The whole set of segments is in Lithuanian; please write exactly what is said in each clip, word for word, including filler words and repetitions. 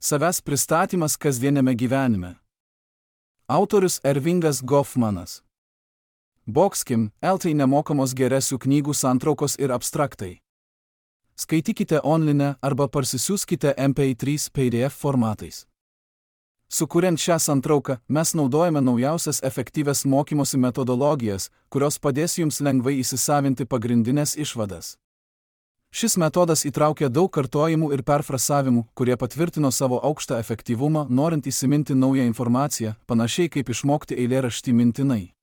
Savęs pristatymas kasdieniame gyvenime. Autorius Ervingas Goffmanas. Boxkim, Eltai nemokamos geresių knygų santraukos ir abstraktai. Skaitykite online arba parsisiųskite M P trys P D F formatais. Sukuriant šią santrauką, mes naudojame naujausias efektyvias mokymosi metodologijas, kurios padės jums lengvai įsisavinti pagrindinės išvadas. Šis metodas įtraukia daug kartojimų ir perfrasavimų, kurie patvirtino savo aukštą efektyvumą, norint įsiminti naują informaciją, panašiai kaip išmokti eilėraštį mintinai.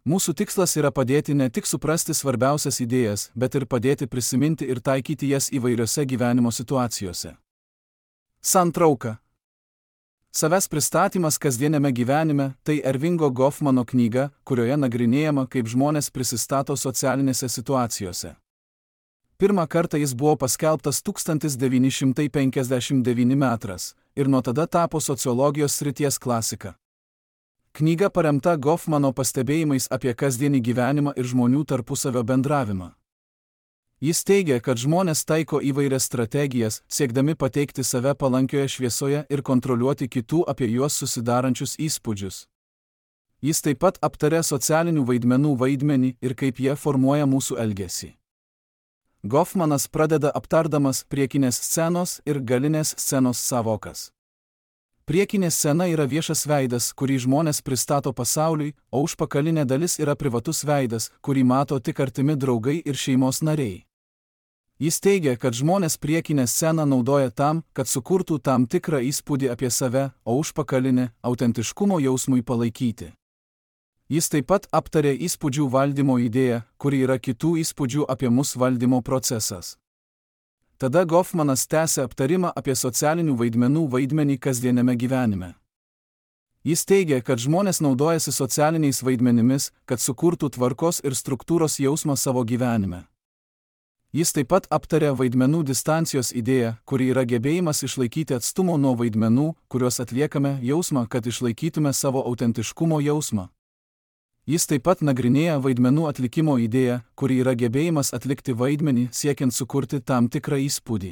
Mūsų tikslas yra padėti ne tik suprasti svarbiausias idėjas, bet ir padėti prisiminti ir taikyti jas įvairiose gyvenimo situacijose. Santrauka. Savęs pristatymas kasdieniame gyvenime – tai Ervingo Goffmano knyga, kurioje nagrinėjama, kaip žmonės prisistato socialinėse situacijose. Pirmą kartą jis buvo paskelbtas tūkstantis devyni šimtai penkiasdešimt devinti metais ir nuo tada tapo sociologijos srities klasika. Knyga paremta Goffmano pastebėjimais apie kasdienį gyvenimą ir žmonių tarpusavio bendravimą. Jis teigia, kad žmonės taiko įvairias strategijas, siekdami pateikti save palankioje šviesoje ir kontroliuoti kitų apie juos susidarančius įspūdžius. Jis taip pat aptarė socialinių vaidmenų vaidmenį ir kaip jie formuoja mūsų elgesį. Goffmanas pradeda aptardamas priekinės scenos ir galinės scenos sąvokas. Priekinė scena yra viešas veidas, kurį žmonės pristato pasauliui, o užpakalinė dalis yra privatus veidas, kurį mato tik artimi draugai ir šeimos nariai. Jis teigia, kad žmonės priekinę sceną naudoja tam, kad sukurtų tam tikrą įspūdį apie save, o užpakalinę – autentiškumo jausmui palaikyti. Jis taip pat aptarė įspūdžių valdymo idėją, kuri yra kitų įspūdžių apie mus valdymo procesas. Tada Goffmanas tęsė aptarimą apie socialinių vaidmenų vaidmenį kasdieniame gyvenime. Jis teigia, kad žmonės naudojasi socialiniais vaidmenimis, kad sukurtų tvarkos ir struktūros jausmą savo gyvenime. Jis taip pat aptarė vaidmenų distancijos idėją, kuri yra gebėjimas išlaikyti atstumo nuo vaidmenų, kuriuos atliekame, jausmą, kad išlaikytume savo autentiškumo jausmą. Jis taip pat nagrinėja vaidmenų atlikimo idėją, kuri yra gebėjimas atlikti vaidmenį, siekiant sukurti tam tikrą įspūdį.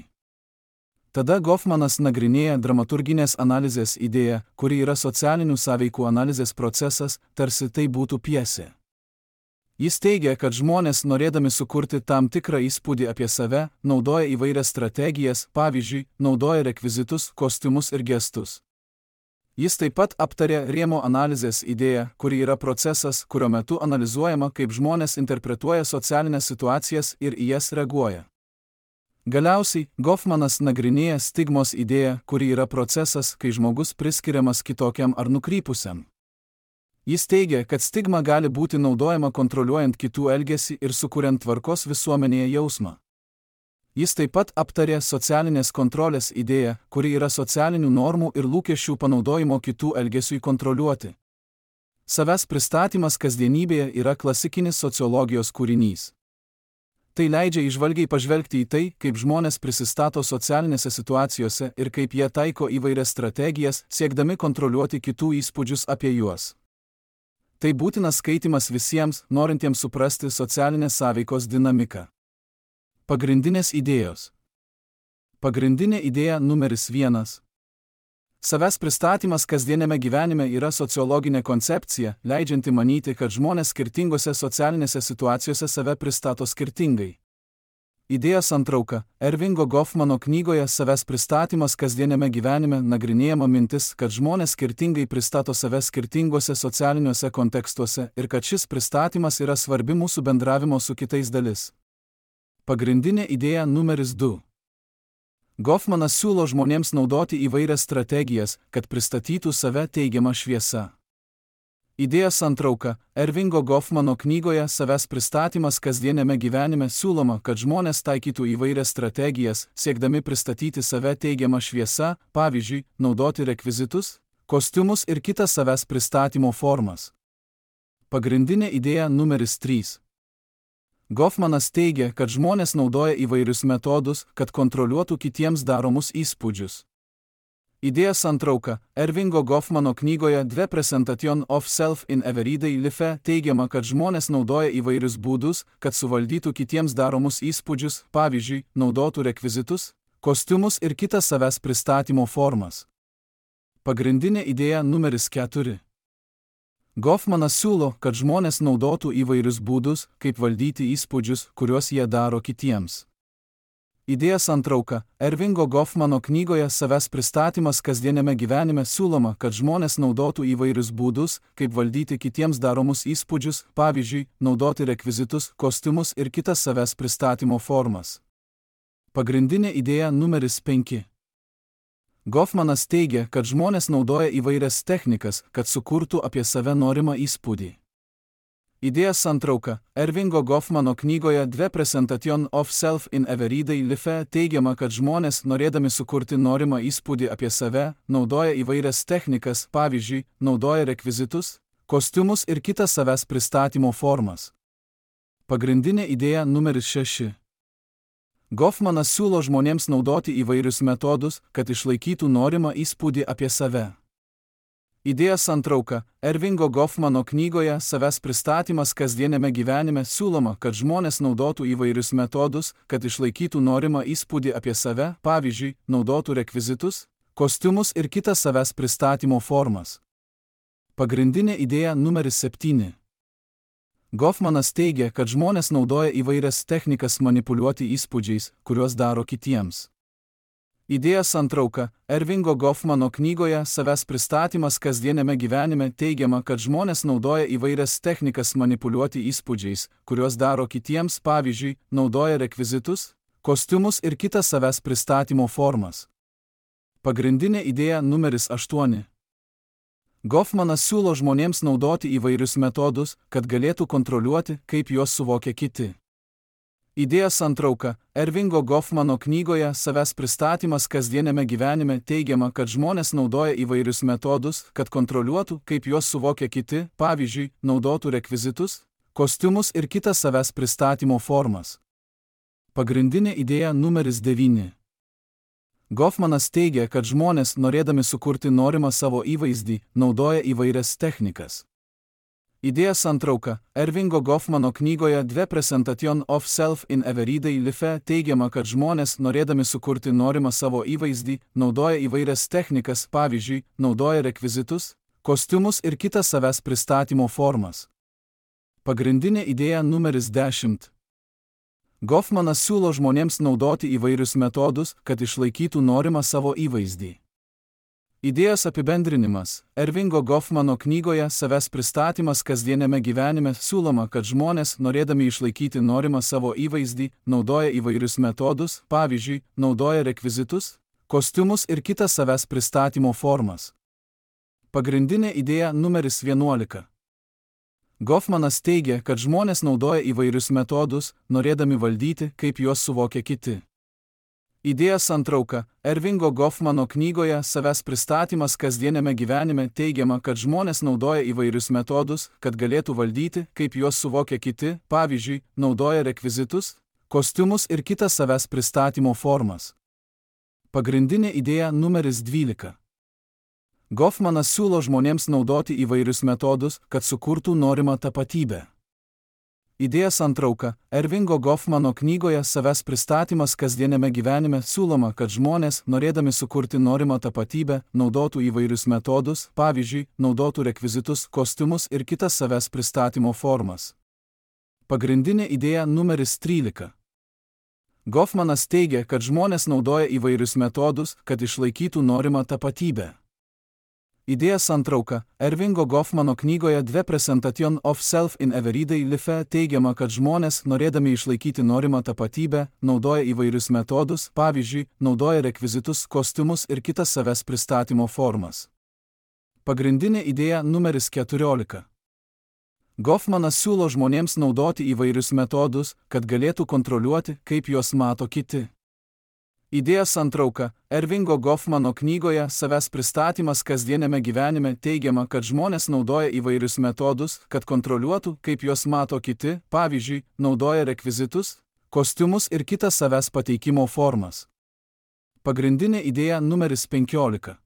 Tada Goffmanas nagrinėja dramaturginės analizės idėją, kuri yra socialinių sąveikų analizės procesas, tarsi tai būtų pjesė. Jis teigia, kad žmonės, norėdami sukurti tam tikrą įspūdį apie save, naudoja įvairias strategijas, pavyzdžiui, naudoja rekvizitus, kostiumus ir gestus. Jis taip pat aptarė rėmo analizės idėją, kuri yra procesas, kurio metu analizuojama, kaip žmonės interpretuoja socialinės situacijas ir į jas reaguoja. Galiausiai, Goffmanas nagrinėja stigmos idėją, kuri yra procesas, kai žmogus priskiriamas kitokiam ar nukrypusiam. Jis teigia, kad stigma gali būti naudojama kontroliuojant kitų elgesį ir sukuriant tvarkos visuomenėje jausmą. Jis taip pat aptarė socialinės kontrolės idėją, kuri yra socialinių normų ir lūkesčių panaudojimo kitų elgesiui kontroliuoti. Savęs pristatymas kasdienybėje yra klasikinis sociologijos kūrinys. Tai leidžia įžvalgiai pažvelgti į tai, kaip žmonės prisistato socialinėse situacijose ir kaip jie taiko įvairias strategijas, siekdami kontroliuoti kitų įspūdžius apie juos. Tai būtinas skaitimas visiems, norintiems suprasti socialinės sąveikos dinamiką. Pagrindinės idėjos. Pagrindinė idėja numeris vienas. Savęs pristatymas kasdieniame gyvenime yra sociologinė koncepcija, leidžianti manyti, kad žmonės skirtingose socialinėse situacijose save pristato skirtingai. Idėjos santrauka. Ervingo Goffmano knygoje Savęs pristatymas kasdieniame gyvenime nagrinėjama mintis, kad žmonės skirtingai pristato save skirtingose socialiniuose kontekstuose ir kad šis pristatymas yra svarbi mūsų bendravimo su kitais dalis. Pagrindinė idėja numeris du. Goffmanas siūlo žmonėms naudoti įvairias strategijas, kad pristatytų save teigiamą šviesą. Idėjos santrauka. Ervingo Goffmano knygoje Savęs pristatymas kasdieniame gyvenime siūloma, kad žmonės taikytų įvairias strategijas, siekdami pristatyti save teigiamą šviesą, pavyzdžiui, naudoti rekvizitus, kostiumus ir kitas savęs pristatymo formas. Pagrindinė idėja numeris trys. Goffmanas teigia, kad žmonės naudoja įvairius metodus, kad kontroliuotų kitiems daromus įspūdžius. Idėjos santrauka. Ervingo Goffmano knygoje The Presentation of Self in Everyday Life teigiama, kad žmonės naudoja įvairius būdus, kad suvaldytų kitiems daromus įspūdžius, pavyzdžiui, naudotų rekvizitus, kostiumus ir kitas savęs pristatymo formas. Pagrindinė idėja numeris keturi. Goffmanas siūlo, kad žmonės naudotų įvairius būdus, kaip valdyti įspūdžius, kuriuos jie daro kitiems. Idėja santrauka. Ervingo Goffmano knygoje Savęs pristatymas kasdieniame gyvenime siūloma, kad žmonės naudotų įvairius būdus, kaip valdyti kitiems daromus įspūdžius, pavyzdžiui, naudoti rekvizitus, kostiumus ir kitas savęs pristatymo formas. Pagrindinė idėja numeris penki. Goffmanas teigia, kad žmonės naudoja įvairias technikas, kad sukurtų apie save norimą įspūdį. Idėja santrauka. Ervingo Goffmano knygoje The Presentation of Self in Everyday Life teigiama, kad žmonės, norėdami sukurti norimą įspūdį apie save, naudoja įvairias technikas, pavyzdžiui, naudoja rekvizitus, kostiumus ir kitas savęs pristatymo formas. Pagrindinė idėja numeris šeši. Goffmanas siūlo žmonėms naudoti įvairius metodus, kad išlaikytų norimą įspūdį apie save. Idėja santrauka. Ervingo Goffmano knygoje Savęs pristatymas kasdieniame gyvenime siūloma, kad žmonės naudotų įvairius metodus, kad išlaikytų norimą įspūdį apie save, pavyzdžiui, naudotų rekvizitus, kostiumus ir kitas savęs pristatymo formas. Pagrindinė idėja numeris septyni. Goffmanas teigia, kad žmonės naudoja įvairias technikas manipuliuoti įspūdžiais, kuriuos daro kitiems. Idėja santrauka. Ervingo Goffmano knygoje Savęs pristatymas kasdieniame gyvenime teigiama, kad žmonės naudoja įvairias technikas manipuliuoti įspūdžiais, kuriuos daro kitiems, pavyzdžiui, naudoja rekvizitus, kostiumus ir kitas savęs pristatymo formas. Pagrindinė idėja numeris aštuoni. Goffmanas siūlo žmonėms naudoti įvairius metodus, kad galėtų kontroliuoti, kaip juos suvokia kiti. Idėja santrauka. Ervingo Goffmano knygoje Savęs pristatymas kasdieniame gyvenime teigiama, kad žmonės naudoja įvairius metodus, kad kontroliuotų, kaip juos suvokia kiti, pavyzdžiui, naudotų rekvizitus, kostiumus ir kitas savęs pristatymo formas. Pagrindinė idėja numeris devyni. Goffmanas teigia, kad žmonės, norėdami sukurti norimą savo įvaizdį, naudoja įvairias technikas. Idėja santrauka. Ervingo Goffmano knygoje The Presentation of Self in Everyday Life teigiama, kad žmonės, norėdami sukurti norimą savo įvaizdį, naudoja įvairias technikas, pavyzdžiui, naudoja rekvizitus, kostiumus ir kitas savęs pristatymo formas. Pagrindinė idėja numeris dešimt. Goffmanas siūlo žmonėms naudoti įvairius metodus, kad išlaikytų norimą savo įvaizdį. Idėjos apibendrinimas. Ervingo Goffmano knygoje Savęs pristatymas kasdieniame gyvenime siūloma, kad žmonės, norėdami išlaikyti norimą savo įvaizdį, naudoja įvairius metodus, pavyzdžiui, naudoja rekvizitus, kostiumus ir kitas savęs pristatymo formas. Pagrindinė idėja numeris vienuolika. Goffmanas teigia, kad žmonės naudoja įvairius metodus, norėdami valdyti, kaip juos suvokia kiti. Idėja santrauka. Ervingo Goffmano knygoje Savęs pristatymas kasdieniame gyvenime teigiama, kad žmonės naudoja įvairius metodus, kad galėtų valdyti, kaip juos suvokia kiti, pavyzdžiui, naudoja rekvizitus, kostiumus ir kitas savęs pristatymo formas. Pagrindinė idėja numeris dvylika. Goffmanas siūlo žmonėms naudoti įvairius metodus, kad sukurtų norimą tapatybę. Idėja santrauka. Ervingo Goffmano knygoje Savęs pristatymas kasdieniame gyvenime siūloma, kad žmonės, norėdami sukurti norimą tapatybę, naudotų įvairius metodus, pavyzdžiui, naudotų rekvizitus, kostiumus ir kitas savęs pristatymo formas. Pagrindinė idėja numeris trylika. Goffmanas teigia, kad žmonės naudoja įvairius metodus, kad išlaikytų norimą tapatybę. Idėja santrauka. Ervingo Goffmano knygoje The Presentation of Self in Everyday Life teigiama, kad žmonės, norėdami išlaikyti norimą tapatybę, naudoja įvairius metodus, pavyzdžiui, naudoja rekvizitus, kostiumus ir kitas savęs pristatymo formas. Pagrindinė idėja numeris keturiolika. Goffmanas siūlo žmonėms naudoti įvairius metodus, kad galėtų kontroliuoti, kaip juos mato kiti. Idėja santrauka. Ervingo Goffmano knygoje Savęs pristatymas kasdieniame gyvenime teigiama, kad žmonės naudoja įvairius metodus, kad kontroliuotų, kaip juos mato kiti, pavyzdžiui, naudoja rekvizitus, kostiumus ir kitas savęs pateikimo formas. Pagrindinė idėja numeris penkiolika.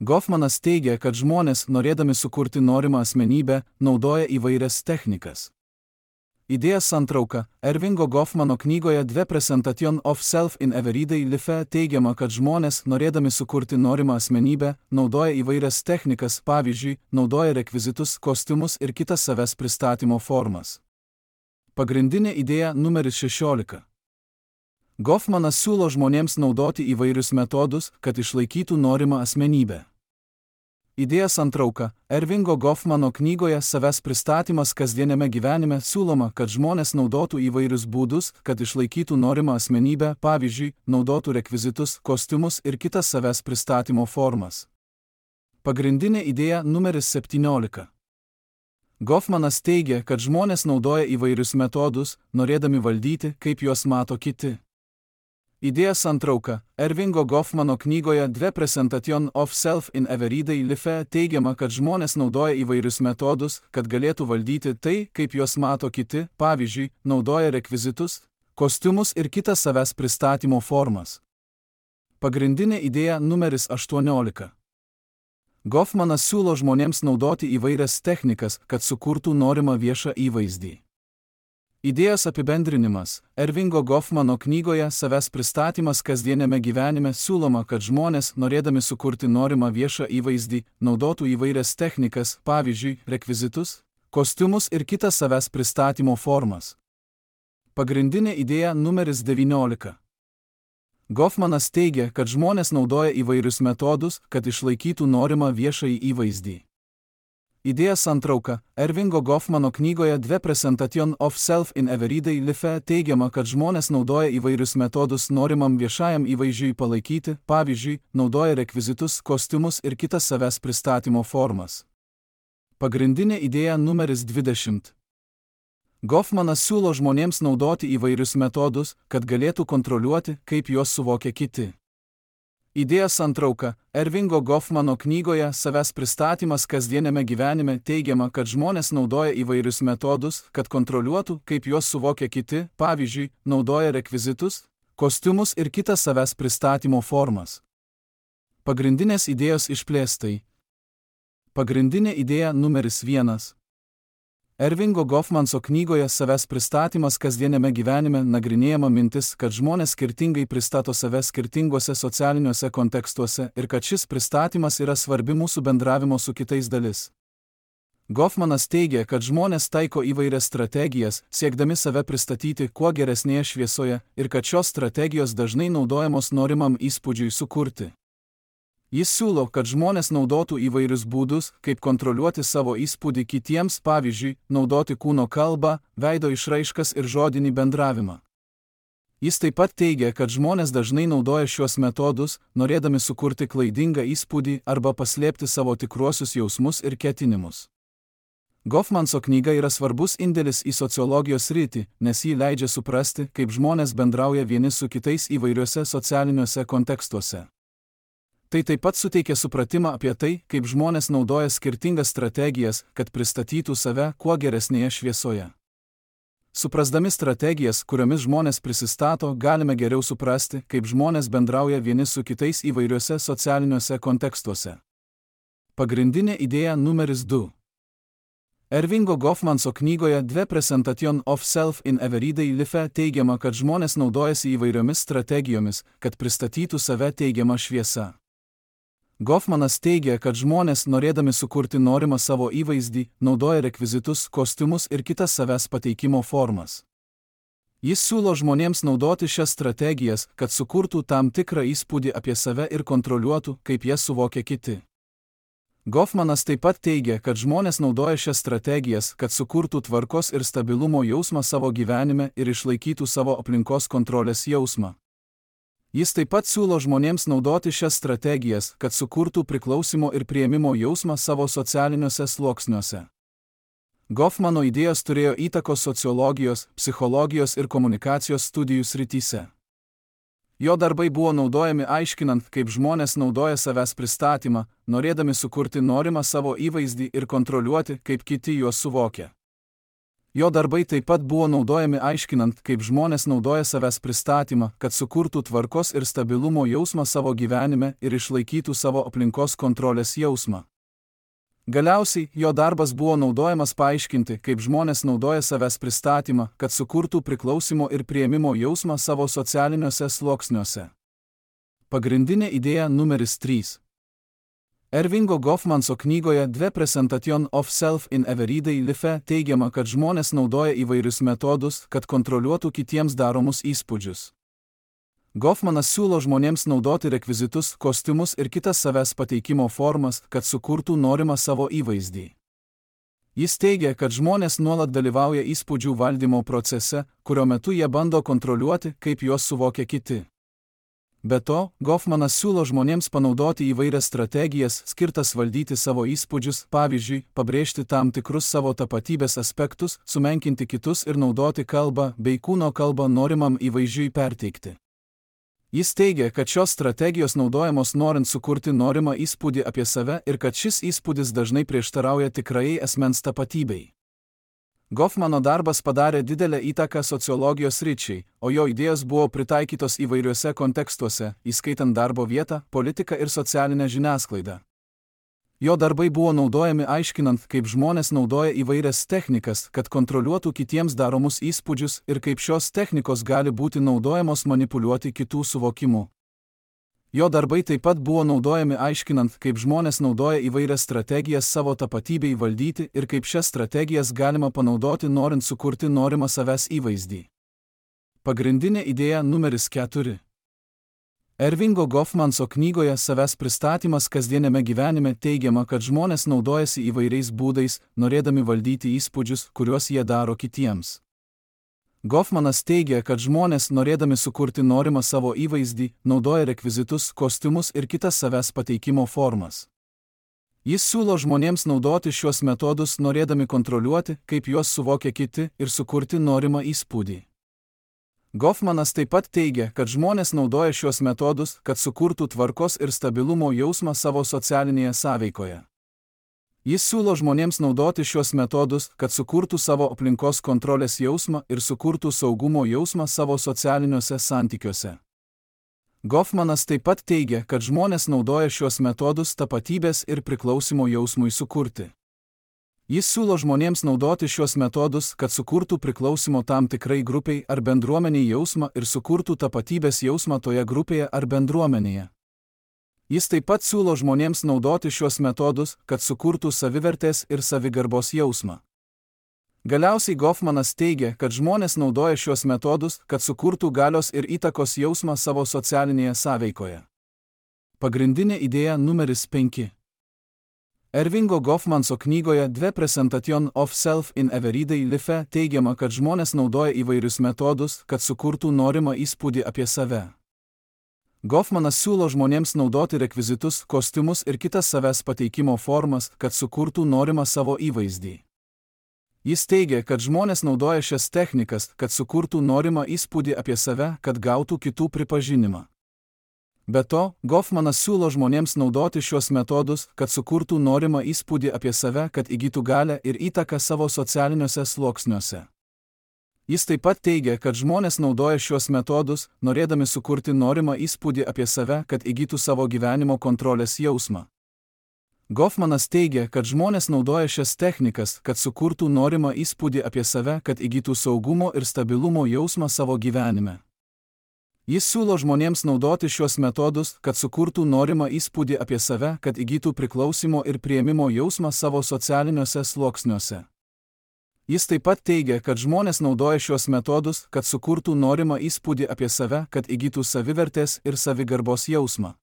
Goffmanas teigia, kad žmonės, norėdami sukurti norimą asmenybę, naudoja įvairias technikas. Idėja santrauka. Ervingo Goffmano knygoje The Presentation of Self in Everyday Life teigiama, kad žmonės, norėdami sukurti norimą asmenybę, naudoja įvairias technikas, pavyzdžiui, naudoja rekvizitus, kostiumus ir kitas savęs pristatymo formas. Pagrindinė idėja numeris šešiolika. Goffmanas siūlo žmonėms naudoti įvairius metodus, kad išlaikytų norimą asmenybę. Idėja santrauka. Ervingo Goffmano knygoje Savęs pristatymas kasdieniame gyvenime siūloma, kad žmonės naudotų įvairius būdus, kad išlaikytų norimą asmenybę, pavyzdžiui, naudotų rekvizitus, kostiumus ir kitas savęs pristatymo formas. Pagrindinė idėja numeris septyniolika. Goffmanas teigia, kad žmonės naudoja įvairius metodus, norėdami valdyti, kaip juos mato kiti. Idėja santrauka. Ervingo Goffmano knygoje The Presentation of Self in Everyday Life teigiama, kad žmonės naudoja įvairius metodus, kad galėtų valdyti tai, kaip juos mato kiti, pavyzdžiui, naudoja rekvizitus, kostiumus ir kitas savęs pristatymo formas. Pagrindinė idėja numeris aštuoniolika. Goffmanas siūlo žmonėms naudoti įvairias technikas, kad sukurtų norimą viešą įvaizdį. Idėjos apibendrinimas. Ervingo Goffmano knygoje Savęs pristatymas kasdieniame gyvenime siūloma, kad žmonės, norėdami sukurti norimą viešą įvaizdį, naudotų įvairias technikas, pavyzdžiui, rekvizitus, kostiumus ir kitas savęs pristatymo formas. Pagrindinė idėja numeris devyniolika. Goffmanas teigia, kad žmonės naudoja įvairius metodus, kad išlaikytų norimą viešąjį įvaizdį. Idėja santrauka. Ervingo Goffmano knygoje The Presentation of Self in Everyday Life teigiama, kad žmonės naudoja įvairius metodus norimam viešajam įvaizdžiui palaikyti, pavyzdžiui, naudoja rekvizitus, kostiumus ir kitas savęs pristatymo formas. Pagrindinė idėja numeris dvidešimt. Goffmanas siūlo žmonėms naudoti įvairius metodus, kad galėtų kontroliuoti, kaip juos suvokia kiti. Idėja santrauka. Ervingo Goffmano knygoje Savęs pristatymas kasdieniame gyvenime teigiama, kad žmonės naudoja įvairius metodus, kad kontroliuotų, kaip juos suvokia kiti, pavyzdžiui, naudoja rekvizitus, kostiumus ir kitas savęs pristatymo formas. Pagrindinės idėjos išplėstai. Pagrindinė idėja numeris vienas. Ervingo Goffmano knygoje Savęs pristatymas kasdieniame gyvenime nagrinėjama mintis, kad žmonės skirtingai pristato save skirtinguose socialiniuose kontekstuose ir kad šis pristatymas yra svarbi mūsų bendravimo su kitais dalis. Goffmanas teigia, kad žmonės taiko įvairias strategijas, siekdami save pristatyti kuo geresnėje šviesoje ir kad šios strategijos dažnai naudojamos norimam įspūdžiui sukurti. Jis siūlo, kad žmonės naudotų įvairius būdus, kaip kontroliuoti savo įspūdį kitiems, pavyzdžiui, naudoti kūno kalbą, veido išraiškas ir žodinį bendravimą. Jis taip pat teigia, kad žmonės dažnai naudoja šiuos metodus, norėdami sukurti klaidingą įspūdį arba paslėpti savo tikruosius jausmus ir ketinimus. Goffmano knyga yra svarbus indėlis į sociologijos sritį, nes ji leidžia suprasti, kaip žmonės bendrauja vieni su kitais įvairiuose socialiniuose kontekstuose. Tai taip pat suteikia supratimą apie tai, kaip žmonės naudoja skirtingas strategijas, kad pristatytų save kuo geresnėje šviesoje. Suprasdami strategijas, kuriomis žmonės prisistato, galime geriau suprasti, kaip žmonės bendrauja vieni su kitais įvairiuose socialiniuose kontekstuose. Pagrindinė idėja numeris du. Ervingo Goffmano knygoje The Presentation of Self in Everyday Life teigiama, kad žmonės naudojasi įvairiomis strategijomis, kad pristatytų save teigiamą šviesą. Goffmanas teigia, kad žmonės, norėdami sukurti norimą savo įvaizdį, naudoja rekvizitus, kostiumus ir kitas savęs pateikimo formas. Jis siūlo žmonėms naudoti šias strategijas, kad sukurtų tam tikrą įspūdį apie save ir kontroliuotų, kaip jas suvokia kiti. Goffmanas taip pat teigia, kad žmonės naudoja šias strategijas, kad sukurtų tvarkos ir stabilumo jausmą savo gyvenime ir išlaikytų savo aplinkos kontrolės jausmą. Jis taip pat siūlo žmonėms naudoti šias strategijas, kad sukurtų priklausimo ir priėmimo jausmą savo socialiniuose sluoksniuose. Goffmano idėjos turėjo įtakos sociologijos, psichologijos ir komunikacijos studijų srityse. Jo darbai buvo naudojami aiškinant, kaip žmonės naudoja savęs pristatymą, norėdami sukurti norimą savo įvaizdį ir kontroliuoti, kaip kiti juos suvokia. Jo darbai taip pat buvo naudojami aiškinant, kaip žmonės naudoja savęs pristatymą, kad sukurtų tvarkos ir stabilumo jausmą savo gyvenime ir išlaikytų savo aplinkos kontrolės jausmą. Galiausiai, jo darbas buvo naudojamas paaiškinti, kaip žmonės naudoja savęs pristatymą, kad sukurtų priklausimo ir priėmimo jausmą savo socialiniuose sluoksniuose. Pagrindinė idėja numeris trys. Ervingo Goffmanso knygoje The Presentation of Self in Everyday Life teigiama, kad žmonės naudoja įvairius metodus, kad kontroliuotų kitiems daromus įspūdžius. Goffmanas siūlo žmonėms naudoti rekvizitus, kostiumus ir kitas savęs pateikimo formas, kad sukurtų norimą savo įvaizdį. Jis teigia, kad žmonės nuolat dalyvauja įspūdžių valdymo procese, kurio metu jie bando kontroliuoti, kaip juos suvokia kiti. Be to, Goffmanas siūlo žmonėms panaudoti įvairias strategijas, skirtas valdyti savo įspūdžius, pavyzdžiui, pabrėžti tam tikrus savo tapatybės aspektus, sumenkinti kitus ir naudoti kalbą bei kūno kalbą norimam įvaizdžiui perteikti. Jis teigia, kad šios strategijos naudojamos norint sukurti norimą įspūdį apie save ir kad šis įspūdis dažnai prieštarauja tikrajai asmens tapatybei. Goffmano darbas padarė didelę įtaką sociologijos sričiai, o jo idėjos buvo pritaikytos įvairiuose kontekstuose, įskaitant darbo vietą, politiką ir socialinę žiniasklaidą. Jo darbai buvo naudojami aiškinant, kaip žmonės naudoja įvairias technikas, kad kontroliuotų kitiems daromus įspūdžius ir kaip šios technikos gali būti naudojamos manipuliuoti kitų suvokimu. Jo darbai taip pat buvo naudojami aiškinant, kaip žmonės naudoja įvairias strategijas savo tapatybei valdyti ir kaip šias strategijas galima panaudoti norint sukurti norimą savęs įvaizdį. Pagrindinė idėja numeris keturi. Ervingo Goffmanso knygoje Savęs pristatymas kasdieniame gyvenime teigiama, kad žmonės naudojasi įvairiais būdais, norėdami valdyti įspūdžius, kuriuos jie daro kitiems. Goffmanas teigia, kad žmonės, norėdami sukurti norimą savo įvaizdį, naudoja rekvizitus, kostiumus ir kitas savęs pateikimo formas. Jis siūlo žmonėms naudoti šiuos metodus, norėdami kontroliuoti, kaip juos suvokia kiti ir sukurti norimą įspūdį. Goffmanas taip pat teigia, kad žmonės naudoja šios metodus, kad sukurtų tvarkos ir stabilumo jausmą savo socialinėje sąveikoje. Jis siūlo žmonėms naudoti šios metodus, kad sukurtų savo aplinkos kontrolės jausmą ir sukurtų saugumo jausmą savo socialiniuose santykiuose. Goffmanas taip pat teigia, kad žmonės naudoja šios metodus tapatybės ir priklausimo jausmui sukurti. Jis siūlo žmonėms naudoti šios metodus, kad sukurtų priklausimo tam tikrai grupiai ar bendruomeniai jausmą ir sukurtų tapatybės jausmą toje grupėje ar bendruomenėje. Jis taip pat siūlo žmonėms naudoti šios metodus, kad sukurtų savivertės ir savigarbos jausmą. Galiausiai Goffmanas teigia, kad žmonės naudoja šios metodus, kad sukurtų galios ir įtakos jausmą savo socialinėje sąveikoje. Pagrindinė idėja numeris penki. Ervingo Goffmanso knygoje The Presentation of Self in Everyday Life teigiama, kad žmonės naudoja įvairius metodus, kad sukurtų norimą įspūdį apie save. Goffmanas siūlo žmonėms naudoti rekvizitus, kostiumus ir kitas savęs pateikimo formas, kad sukurtų norimą savo įvaizdį. Jis teigia, kad žmonės naudoja šias technikas, kad sukurtų norimą įspūdį apie save, kad gautų kitų pripažinimą. Be to, Goffmanas siūlo žmonėms naudoti šios metodus, kad sukurtų norimą įspūdį apie save, kad įgytų galią ir įtaką savo socialiniuose sluoksniuose. Jis taip pat teigia, kad žmonės naudoja šios metodus, norėdami sukurti norimą įspūdį apie save, kad įgytų savo gyvenimo kontrolės jausmą. Goffmanas teigia, kad žmonės naudoja šias technikas, kad sukurtų norimą įspūdį apie save, kad įgytų saugumo ir stabilumo jausmą savo gyvenime. Jis siūlo žmonėms naudoti šios metodus, kad sukurtų norimą įspūdį apie save, kad įgytų priklausimo ir priėmimo jausmą savo socialiniuose sluoksniuose. Jis taip pat teigia, kad žmonės naudoja šios metodus, kad sukurtų norimą įspūdį apie save, kad įgytų savivertės ir savigarbos jausmą.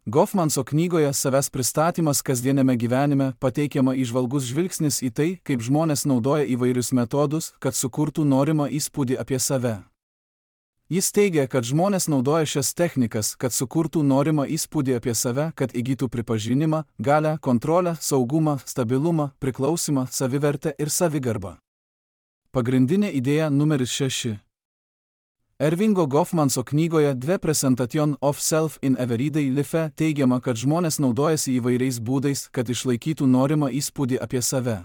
Goffmanso knygoje Savęs pristatymas kasdieniame gyvenime pateikiama įžvalgus žvilgsnis į tai, kaip žmonės naudoja įvairius metodus, kad sukurtų norimą įspūdį apie save. Jis teigia, kad žmonės naudoja šias technikas, kad sukurtų norimą įspūdį apie save, kad įgytų pripažinimą, galią, kontrolę, saugumą, stabilumą, priklausimą, savivertę ir savigarbą. Pagrindinė idėja numeris šeši. Ervingo Goffmanso knygoje The Presentation of Self in Everyday Life teigiama, kad žmonės naudojasi įvairiais būdais, kad išlaikytų norimą įspūdį apie save.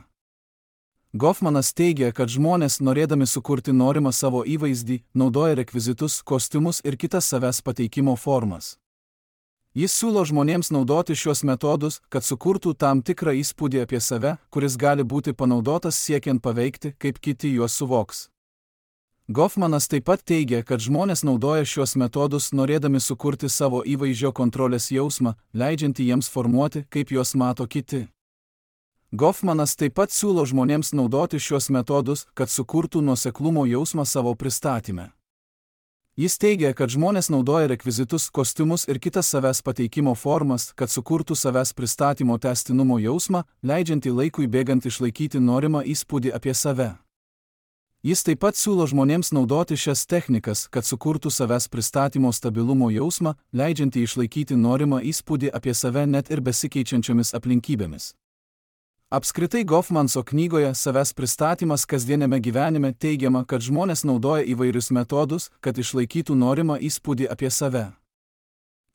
Goffmanas teigia, kad žmonės, norėdami sukurti norimą savo įvaizdį, naudoja rekvizitus, kostiumus ir kitas savęs pateikimo formas. Jis siūlo žmonėms naudoti šios metodus, kad sukurtų tam tikrą įspūdį apie save, kuris gali būti panaudotas siekiant paveikti, kaip kiti juos suvoks. Goffmanas taip pat teigia, kad žmonės naudoja šios metodus norėdami sukurti savo įvaizdžio kontrolės jausmą, leidžiantį jiems formuoti, kaip juos mato kiti. Goffmanas taip pat siūlo žmonėms naudoti šios metodus, kad sukurtų nuoseklumo jausmą savo pristatyme. Jis teigia, kad žmonės naudoja rekvizitus, kostiumus ir kitas savęs pateikimo formas, kad sukurtų savęs pristatymo tęstinumo jausmą, leidžiantį laikui bėgant išlaikyti norimą įspūdį apie save. Jis taip pat siūlo žmonėms naudoti šias technikas, kad sukurtų savęs pristatymo stabilumo jausmą, leidžiantį išlaikyti norimą įspūdį apie save net ir besikeičiančiomis aplinkybėmis. Apskritai Goffmanso knygoje Savęs pristatymas kasdieniame gyvenime teigiama, kad žmonės naudoja įvairius metodus, kad išlaikytų norimą įspūdį apie save.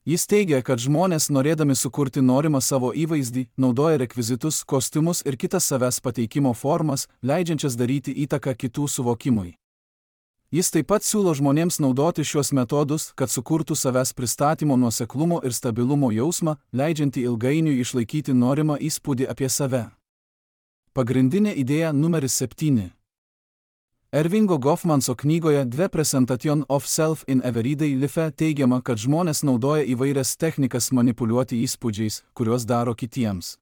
Jis teigia, kad žmonės, norėdami sukurti norimą savo įvaizdį, naudoja rekvizitus, kostiumus ir kitas savęs pateikimo formas, leidžiančias daryti įtaką kitų suvokimui. Jis taip pat siūlo žmonėms naudoti šios metodus, kad sukurtų savęs pristatymo nuoseklumo ir stabilumo jausmą, leidžiantį ilgainiui išlaikyti norimą įspūdį apie save. Pagrindinė idėja numeris septyni. Ervingo Goffmanso knygoje The Presentation of Self in Everyday Life teigiama, kad žmonės naudoja įvairias technikas manipuliuoti įspūdžiais, kuriuos daro kitiems.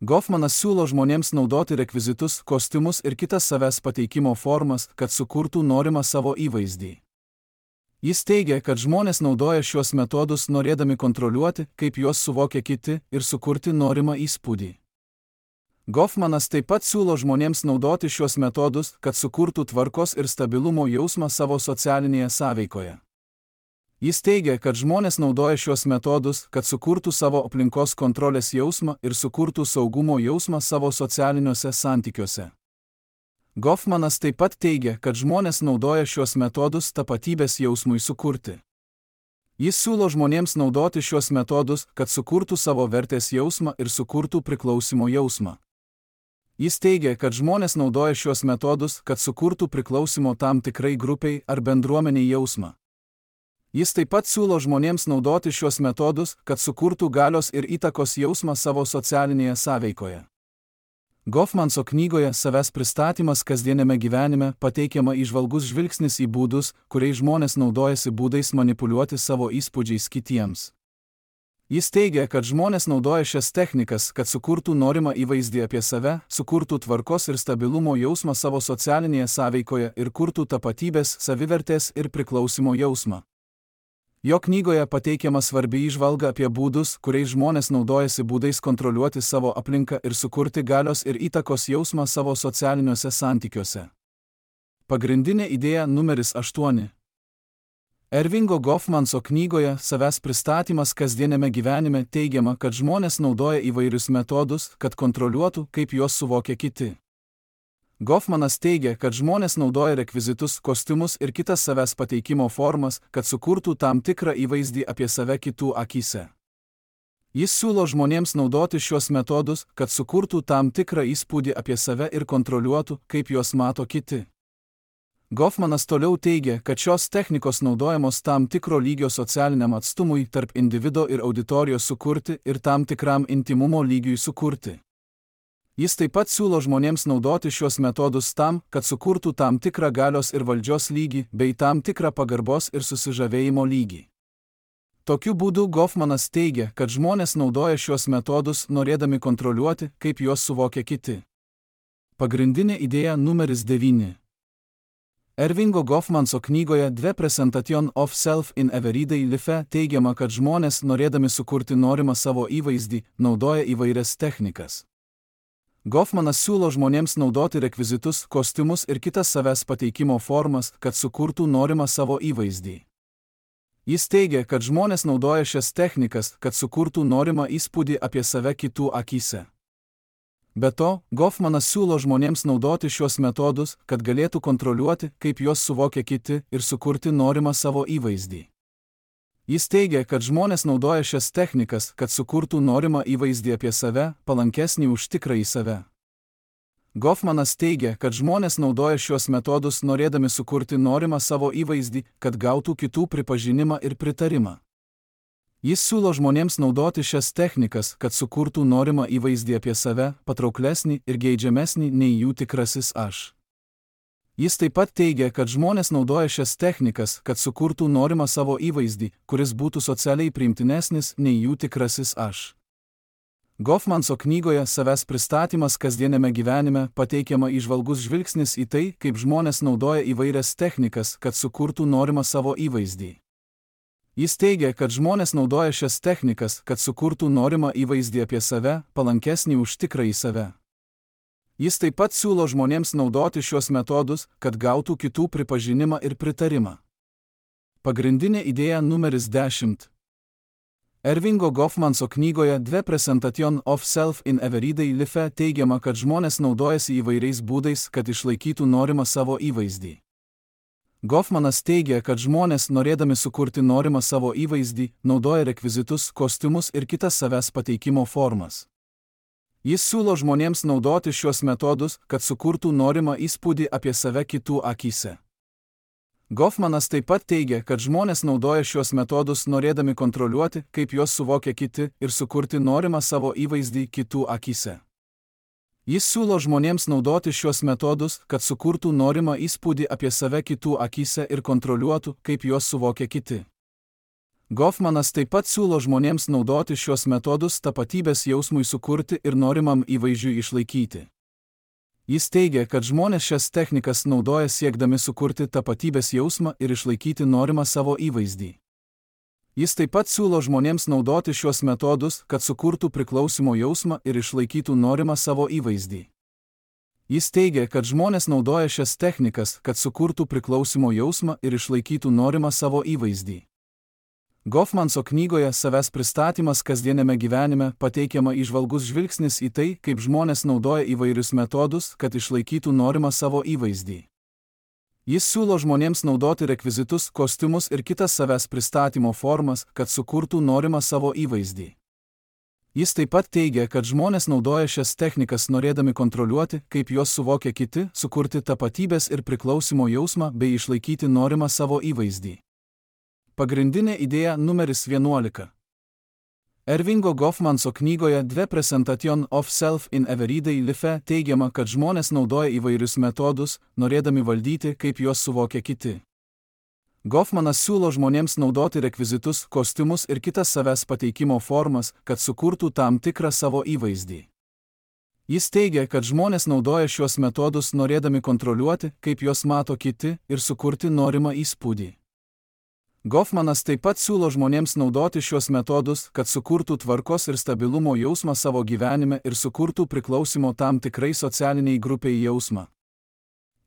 Goffmanas siūlo žmonėms naudoti rekvizitus, kostiumus ir kitas savęs pateikimo formas, kad sukurtų norimą savo įvaizdį. Jis teigia, kad žmonės naudoja šios metodus norėdami kontroliuoti, kaip juos suvokia kiti, ir sukurti norimą įspūdį. Goffmanas taip pat siūlo žmonėms naudoti šios metodus, kad sukurtų tvarkos ir stabilumo jausmą savo socialinėje sąveikoje. Jis teigia, kad žmonės naudoja šios metodus, kad sukurtų savo aplinkos kontrolės jausmą ir sukurtų saugumo jausmą savo socialiniuose santykiuose. Goffmanas taip pat teigia, kad žmonės naudoja šios metodus tapatybės jausmui sukurti. Jis siūlo žmonėms naudoti šios metodus, kad sukurtų savo vertės jausmą ir sukurtų priklausimo jausmą. Jis teigia, kad žmonės naudoja šios metodus, kad sukurtų priklausimo tam tikrai grupiai ar bendruomeniai jausmą. Jis taip pat siūlo žmonėms naudoti šios metodus, kad sukurtų galios ir įtakos jausmą savo socialinėje sąveikoje. Goffmanso knygoje Savęs pristatymas kasdieniame gyvenime pateikiama įžvalgus žvilgsnis į būdus, kuriais žmonės naudojasi būdais manipuliuoti savo įspūdžiais kitiems. Jis teigia, kad žmonės naudoja šias technikas, kad sukurtų norimą įvaizdį apie save, sukurtų tvarkos ir stabilumo jausmą savo socialinėje sąveikoje ir kurtų tapatybės, savivertės ir priklausimo jausmą. Jo knygoje pateikiama svarbi įžvalga apie būdus, kuriais žmonės naudojasi būdais kontroliuoti savo aplinką ir sukurti galios ir įtakos jausmą savo socialiniuose santykiuose. Pagrindinė idėja numeris aštuoni. Ervingo Goffmanso knygoje Savęs pristatymas kasdieniame gyvenime teigiama, kad žmonės naudoja įvairius metodus, kad kontroliuotų, kaip juos suvokia kiti. Goffmanas teigia, kad žmonės naudoja rekvizitus, kostiumus ir kitas savęs pateikimo formas, kad sukurtų tam tikrą įvaizdį apie save kitų akyse. Jis siūlo žmonėms naudoti šios metodus, kad sukurtų tam tikrą įspūdį apie save ir kontroliuotų, kaip juos mato kiti. Goffmanas toliau teigia, kad šios technikos naudojamos tam tikro lygio socialiniam atstumui tarp individo ir auditorijos sukurti ir tam tikram intimumo lygiui sukurti. Jis taip pat siūlo žmonėms naudoti šios metodus tam, kad sukurtų tam tikrą galios ir valdžios lygį, bei tam tikrą pagarbos ir susižavėjimo lygį. Tokiu būdu Goffmanas teigia, kad žmonės naudoja šios metodus norėdami kontroliuoti, kaip juos suvokia kiti. Pagrindinė idėja numeris devyni. Ervingo Goffmanso knygoje The Presentation of Self in Everyday Life teigiama, kad žmonės, norėdami sukurti norimą savo įvaizdį, naudoja įvairias technikas. Goffmanas siūlo žmonėms naudoti rekvizitus, kostiumus ir kitas savęs pateikimo formas, kad sukurtų norimą savo įvaizdį. Jis teigia, kad žmonės naudoja šias technikas, kad sukurtų norimą įspūdį apie save kitų akyse. Be to, Goffmanas siūlo žmonėms naudoti šios metodus, kad galėtų kontroliuoti, kaip juos suvokia kiti ir sukurti norimą savo įvaizdį. Jis teigia, kad žmonės naudoja šias technikas, kad sukurtų norimą įvaizdį apie save, palankesnį už tikrąjį save. Goffmanas teigia, kad žmonės naudoja šios metodus norėdami sukurti norimą savo įvaizdį, kad gautų kitų pripažinimą ir pritarimą. Jis siūlo žmonėms naudoti šias technikas, kad sukurtų norimą įvaizdį apie save, patrauklesnį ir geidžiamesnį nei jų tikrasis aš. Jis taip pat teigia, kad žmonės naudoja šias technikas, kad sukurtų norimą savo įvaizdį, kuris būtų socialiai priimtinesnis nei jų tikrasis aš. Goffmanso knygoje Savęs pristatymas kasdieniame gyvenime pateikiama įžvalgus žvilgsnis į tai, kaip žmonės naudoja įvairias technikas, kad sukurtų norimą savo įvaizdį. Jis teigia, kad žmonės naudoja šias technikas, kad sukurtų norimą įvaizdį apie save, palankesnį už tikrąjį save. Jis taip pat siūlo žmonėms naudoti šios metodus, kad gautų kitų pripažinimą ir pritarimą. Pagrindinė idėja numeris dešimt. Ervingo Goffmanso knygoje The Presentation of Self in Everyday Life teigiama, kad žmonės naudojasi įvairiais būdais, kad išlaikytų norimą savo įvaizdį. Goffmanas teigia, kad žmonės, norėdami sukurti norimą savo įvaizdį, naudoja rekvizitus, kostiumus ir kitas savęs pateikimo formas. Jis siūlo žmonėms naudoti šios metodus, kad sukurtų norimą įspūdį apie save kitų akyse. Goffmanas taip pat teigia, kad žmonės naudoja šios metodus norėdami kontroliuoti, kaip juos suvokia kiti ir sukurti norimą savo įvaizdį kitų akyse. Jis siūlo žmonėms naudoti šios metodus, kad sukurtų norimą įspūdį apie save kitų akyse ir kontroliuotų, kaip juos suvokia kiti. Goffmanas taip pat siūlo žmonėms naudoti šios metodus tapatybės jausmui sukurti ir norimam įvaizdžiui išlaikyti. Jis teigia, kad žmonės šias technikas naudoja siekdami sukurti tapatybės jausmą ir išlaikyti norimą savo įvaizdį. Jis taip pat siūlo žmonėms naudoti šios metodus, kad sukurtų priklausimo jausmą ir išlaikytų norimą savo įvaizdį. Jis teigia, kad žmonės naudoja šias technikas, kad sukurtų priklausimo jausmą ir išlaikytų norimą savo įvaizdį. Goffmanso knygoje Savęs pristatymas kasdieniame gyvenime pateikiama įžvalgus žvilgsnis į tai, kaip žmonės naudoja įvairius metodus, kad išlaikytų norimą savo įvaizdį. Jis siūlo žmonėms naudoti rekvizitus, kostiumus ir kitas savęs pristatymo formas, kad sukurtų norimą savo įvaizdį. Jis taip pat teigia, kad žmonės naudoja šias technikas norėdami kontroliuoti, kaip juos suvokia kiti, sukurti tapatybės ir priklausimo jausmą bei išlaikyti norimą savo įvaizdį. Pagrindinė idėja numeris vienuolika. Ervingo Goffmanso knygoje The Presentation of Self in Everyday Life teigiama, kad žmonės naudoja įvairius metodus, norėdami valdyti, kaip juos suvokia kiti. Goffmanas siūlo žmonėms naudoti rekvizitus, kostiumus ir kitas savęs pateikimo formas, kad sukurtų tam tikrą savo įvaizdį. Jis teigia, kad žmonės naudoja šios metodus norėdami kontroliuoti, kaip juos mato kiti ir sukurti norimą įspūdį. Goffmanas taip pat siūlo žmonėms naudoti šios metodus, kad sukurtų tvarkos ir stabilumo jausmą savo gyvenime ir sukurtų priklausimo tam tikrai socialiniai grupiai jausmą.